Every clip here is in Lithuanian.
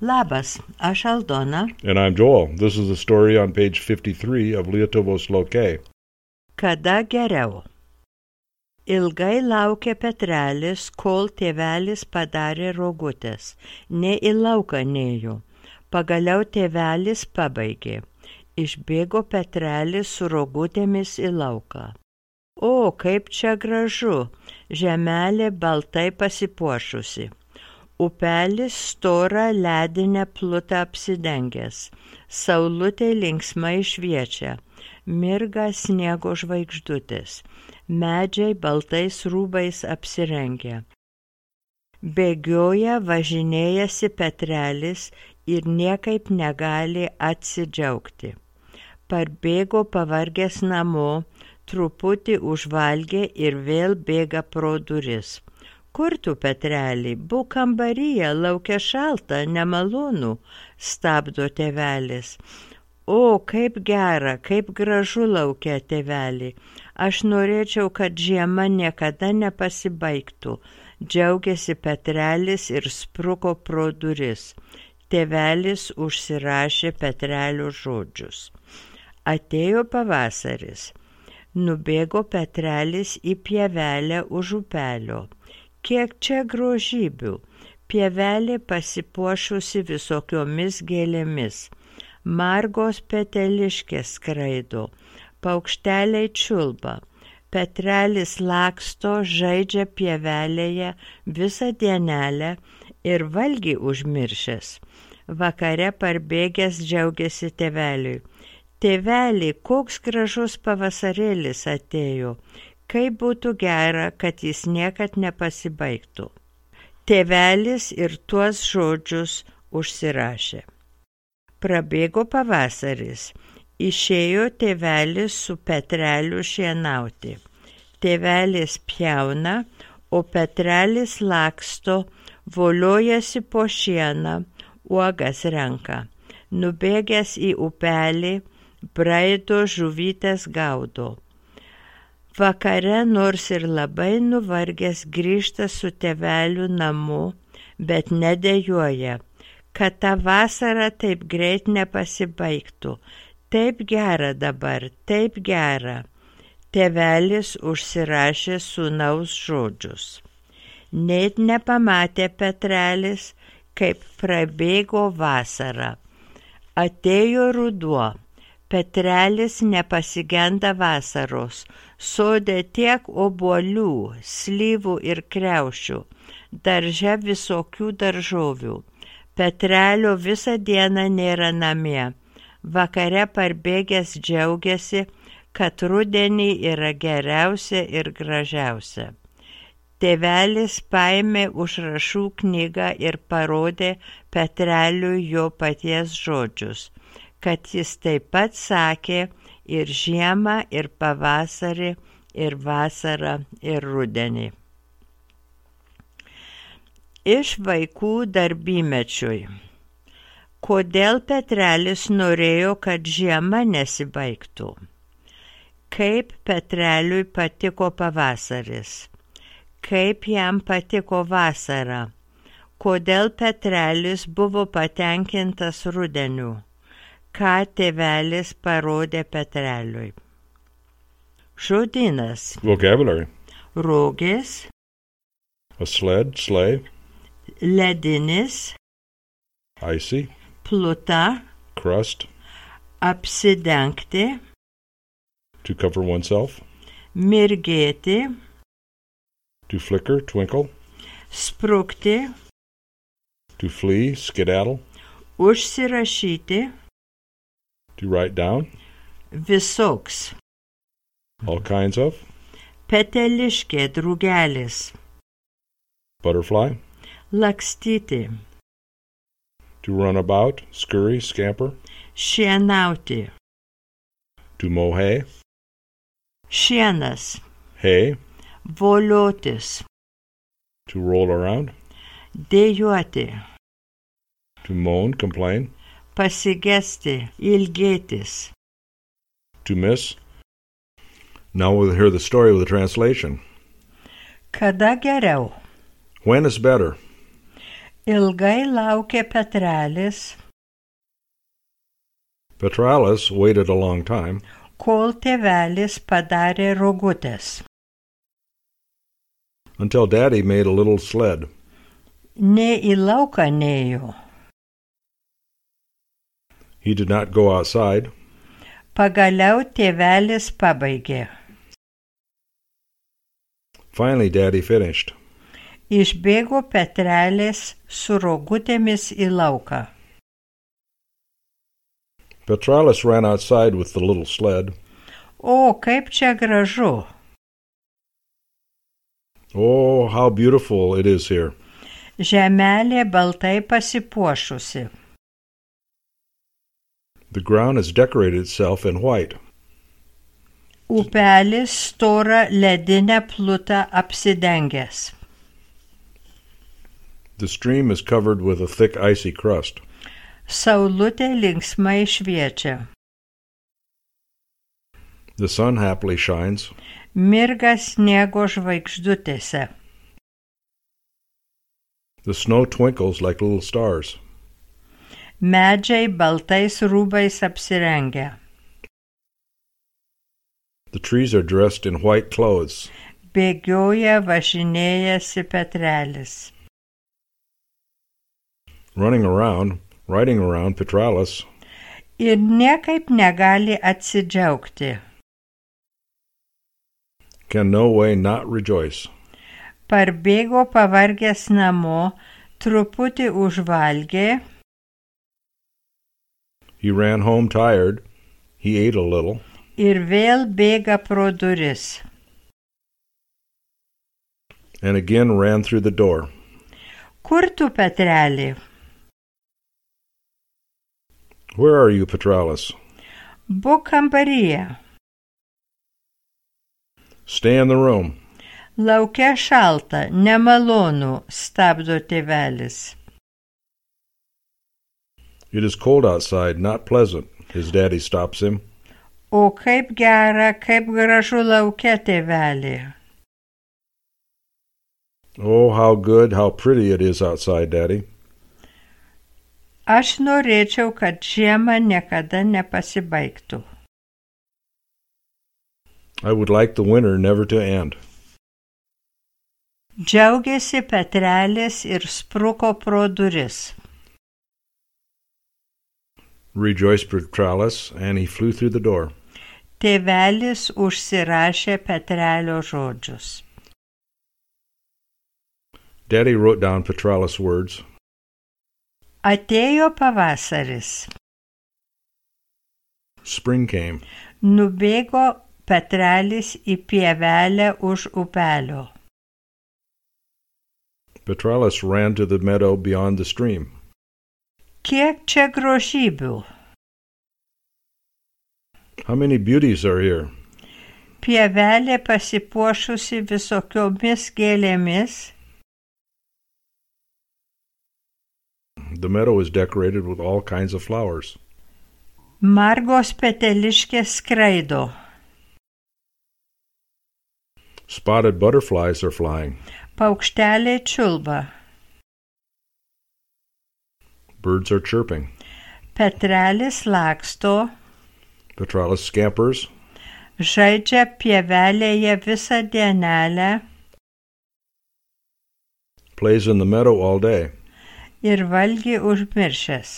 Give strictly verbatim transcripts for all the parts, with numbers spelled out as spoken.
Labas, aš Aldona. And I'm Joel. This is the story on page fifty-three of Lietuvos Lokė. Kada geriau? Ilgai laukė Petrelis, kol tėvelis padarė rogutės. Ne į lauką nėjo. Pagaliau tėvelis pabaigė. Išbėgo Petrelis su rogutėmis į lauką. O, kaip čia gražu! Žemelė baltai pasipuošusi. Upelis storą ledinę plutą apsidengęs. Saulutė linksmai šviečia. Mirga sniego žvaigždutės. Medžiai baltais rūbais apsirengę. Bėgioja, važinėjasi Petrelis ir niekaip negali atsidžiaugti. Parbėgo pavargęs namo, truputį užvalgė ir vėl bėga pro duris. Kur tu, Petreli? Būk kambaryje, laukia šalta, nemalonu, stabdo tėvelis. O, kaip gera, kaip gražu laukia, tėveli. Aš norėčiau, kad žiema niekada nepasibaigtų. Džiaugiasi Petrelis ir spruko pro duris. Tėvelis užsirašė Petrelio žodžius. Atėjo pavasaris. Nubėgo Petrelis į pievelę už upelio. Kiek čia grožybių. Pievelė pasipuošusi visokiomis gėlėmis. Margos peteliškės skraido. Paukšteliai čiulba. Petrelis laksto, žaidžia pievelėje visą dienelę ir valgį užmiršęs. Vakare parbėgęs džiaugiasi tėveliui. Tėveli, koks gražus pavasarėlis atėjo. Kaip būtų gera, kad jis niekad nepasibaigtų. Tėvelis ir tuos žodžius užsirašė. Prabėgo pavasaris. Išėjo tėvelis su Petreliu šienauti. Tėvelis pjauna, o Petrelis laksto, voliojasi po šieną, uogas renka. Nubėgęs į upelį, braido žuvytes gaudo. Vakare nors ir labai nuvargęs grįžta su tėveliu namo, bet nedejuoja, kad ta vasara taip greit nepasibaigtų. Taip gera dabar, taip gera. Tėvelis užsirašė sūnaus žodžius. Net nepamatė Petrelis, kaip prabėgo vasara. Atėjo ruduo. Petrelis nepasigenda vasaros. Sode tiek obuolių, slyvų ir kriaušių. Darže visokių daržovių. Petrelio visą dieną nėra namie. Vakare parbėgęs džiaugiasi, kad rudenį yra geriausia ir gražiausia. Tėvelis paėmė užrašų knygą ir parodė Petreliui jo paties žodžius, kad jis taip pat sakė ir žiemą, ir pavasarį, ir vasarą, ir rudenį. Iš vaikų darbymečiui. Kodėl Petrelis norėjo, kad žiema nesibaigtų? Kaip Petreliui patiko pavasaris? Kaip jam patiko vasara? Kodėl Petrelis buvo patenkintas rudeniu? Ką tėvelis parodė Petreliui? Žodynas. Vocabulary. Rogės. A sled, sleigh. Ledinis. Icy. Pluta. Crust. Apsidengti. To cover oneself. Mirgėti. To flicker, twinkle. Sprukti. To flee, skedaddle. Užsirašyti. To write down. Visoks. All kinds of. Peteliškė, drugelis. Butterfly. Lakstyti. To run about, scurry, scamper. Šienauti. To mow hay. Šienas. Hay. Voliotis. To roll around. Dejuoti. To moan, complain. Pasigesti, ilgėtis. To miss. Now we'll hear the story with the translation. Kada geriau? When is better? Ilgai laukė Petralis, Petralis waited a long time kol tėvelis padarė rogutės. until Daddy made a little sled. Ne į lauką nėjo. He did not go outside. Pagaliau tėvelis pabaigė. Finally, Daddy finished. Išbėgo Petralis su rogutėmis į lauką. Petralis ran outside with the little sled. O, kaip čia gražu. Oh, how beautiful it is here. Žemelė baltai pasipuošusi. The ground has decorated itself in white. Upelis storą ledinę plutą apsidengęs. The stream is covered with a thick icy crust. Saulutė linksmai šviečia. The sun happily shines. Mirga sniego žvaigždutėse. The snow twinkles like little stars. Medžiai baltais rūbais apsirengę. The trees are dressed in white clothes. Bėgioja važinėjasi Petralis. Running around, riding around Petralis. Ir niekaip negali atsidžiaugti. Can no way not rejoice. Parbėgo pavargęs namo, truputį užvalgė. He ran home tired. He ate a little. Ir vėl bėga pro duris. And again ran through the door. Kur tu, Petreli? Where are you, Petralis? Būk kambaryje. Stay in the room. Lauke šalta, nemalonu, stabdo tėvelis. It is cold outside, not pleasant. His daddy stops him. O kaip gera, kaip gražu lauke, tėveli. Oh, how good, how pretty it is outside, Daddy. Aš norėčiau, kad žiema niekada nepasibaigtų. I would like the winter never to end. Džiaugiasi Petralis ir spruko pro duris. Rejoiced Petralis, and he flew through the door. Tėvelis užsirašė Petrelio žodžius. Daddy wrote down Petralis' words. Atėjo pavasaris. Spring came. Nubėgo Petralis į pievelę už upelio. Petralis ran to the meadow beyond the stream. Kiek čia grožybių? How many beauties are here? Pievelė pasipuošusi visokiomis gėlėmis. The meadow is decorated with all kinds of flowers. Margos peteliškės skraido. Spotted butterflies are flying. Paukšteliai čiulba. Birds are chirping. Petralis laksto. Petralis scampers. Žaidžia pievelėje visą dienelę. Plays in the meadow all day. Ir valgį užmiršęs.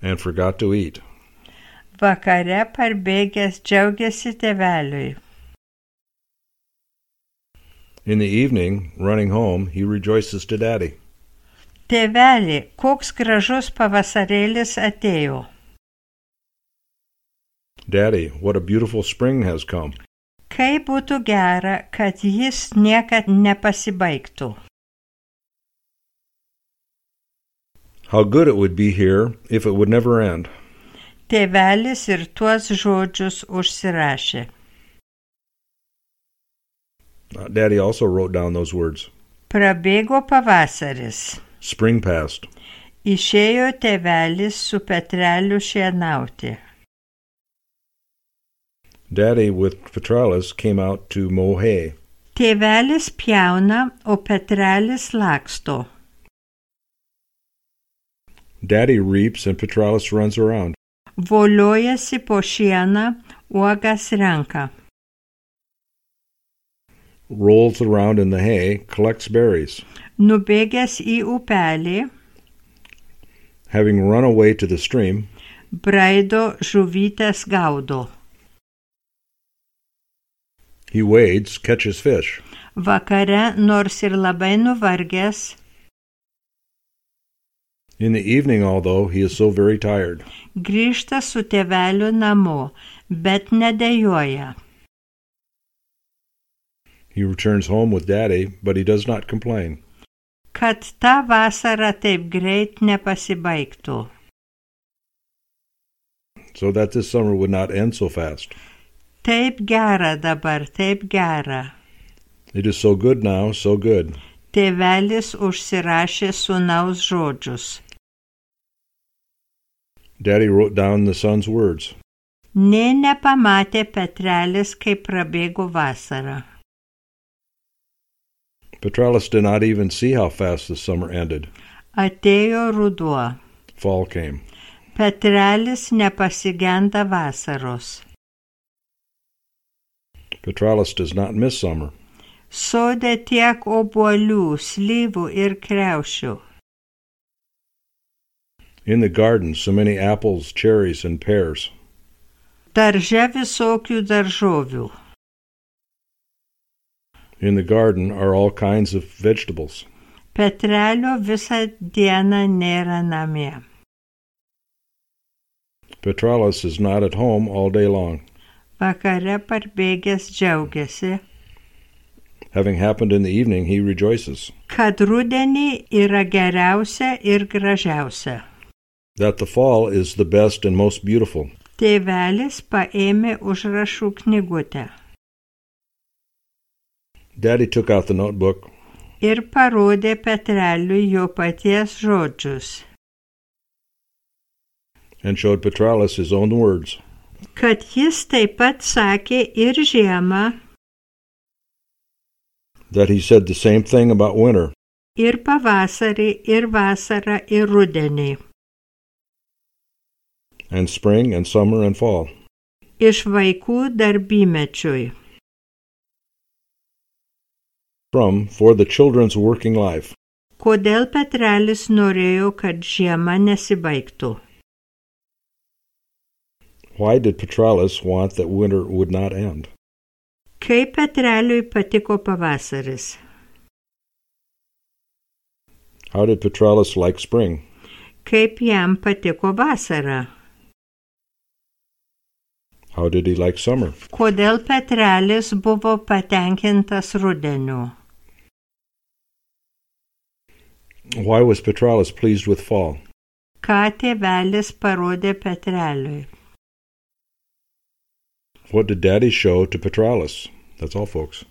And forgot to eat. Vakare parbėgęs džiaugiasi tėveliui. In the evening, running home, he rejoices to Daddy. Tėveli, koks gražus pavasarėlis atėjo. Daddy, what a beautiful spring has come. Kaip būtų gera, kad jis niekad nepasibaigtų. How good it would be here if it would never end. Tėvelis ir tuos žodžius užsirašė. Daddy also wrote down those words. Prabėgo pavasaris. Spring passed. Išėjo tėvelis su Petreliu šienauti. Daddy with Petralis came out to mow hay. Tėvelis pjauna, o Petrelis laksto. Daddy reaps and Petralis runs around. Voliojasi po šieną, uogas renka. Rolls around in the hay, collects berries. Nubėgęs į upelį, Having run away to the stream, braido žuvytes gaudo. he wades, catches fish. Vakare, nors ir labai nuvargęs, In the evening, although he is so very tired, grįžta su tėveliu namo, bet nedejuoja. he returns home with Daddy, but he does not complain. Kad ta vasara taip greit nepasibaigtų. So that this summer would not end so fast. Taip gera dabar, taip gera. It is so good now, so good. Tėvelis užsirašė sūnaus žodžius. Daddy wrote down the son's words. Nė nepamatė Petrelis, kaip prabėgo vasara. Petralis did not even see how fast the summer ended. Atėjo ruduo. Fall came. Petrelis nepasigenda vasaros. Petralis does not miss summer. Sode tiek obuolių, slyvų ir kriaušių. In the garden, so many apples, cherries, and pears. Darže visokių daržovių. In the garden are all kinds of vegetables. Petrelio visą dieną nėra namie. Petralis is not at home all day long. Vakare parbėgęs džiaugiasi, Having happened in the evening, he rejoices. kad rudenį yra geriausia ir gražiausia. That the fall is the best and most beautiful. Tėvelis paėmė užrašų knygutę Daddy took out the notebook ir parodė Petreliui jo paties žodžius, and showed Petralis his own words. kad jis taip pat sakė ir žiemą, That he said the same thing about winter, ir pavasarį, ir vasarą, ir rudenį. and spring, and summer, and fall. Iš vaikų darbymečiui. From For the Children's Working Life. Kodėl Petrelis norėjo, kad žiema nesibaigtų? Why did Petralis want that winter would not end? Kaip Petreliui patiko pavasaris? How did Petralis like spring? Kaip jam patiko vasara? How did he like summer? Kodėl Petrelis buvo patenkintas rudeniu? Why was Petralis pleased with fall? Ką tėvelis parodė Petreliui? What did Daddy show to Petralis? That's all, folks.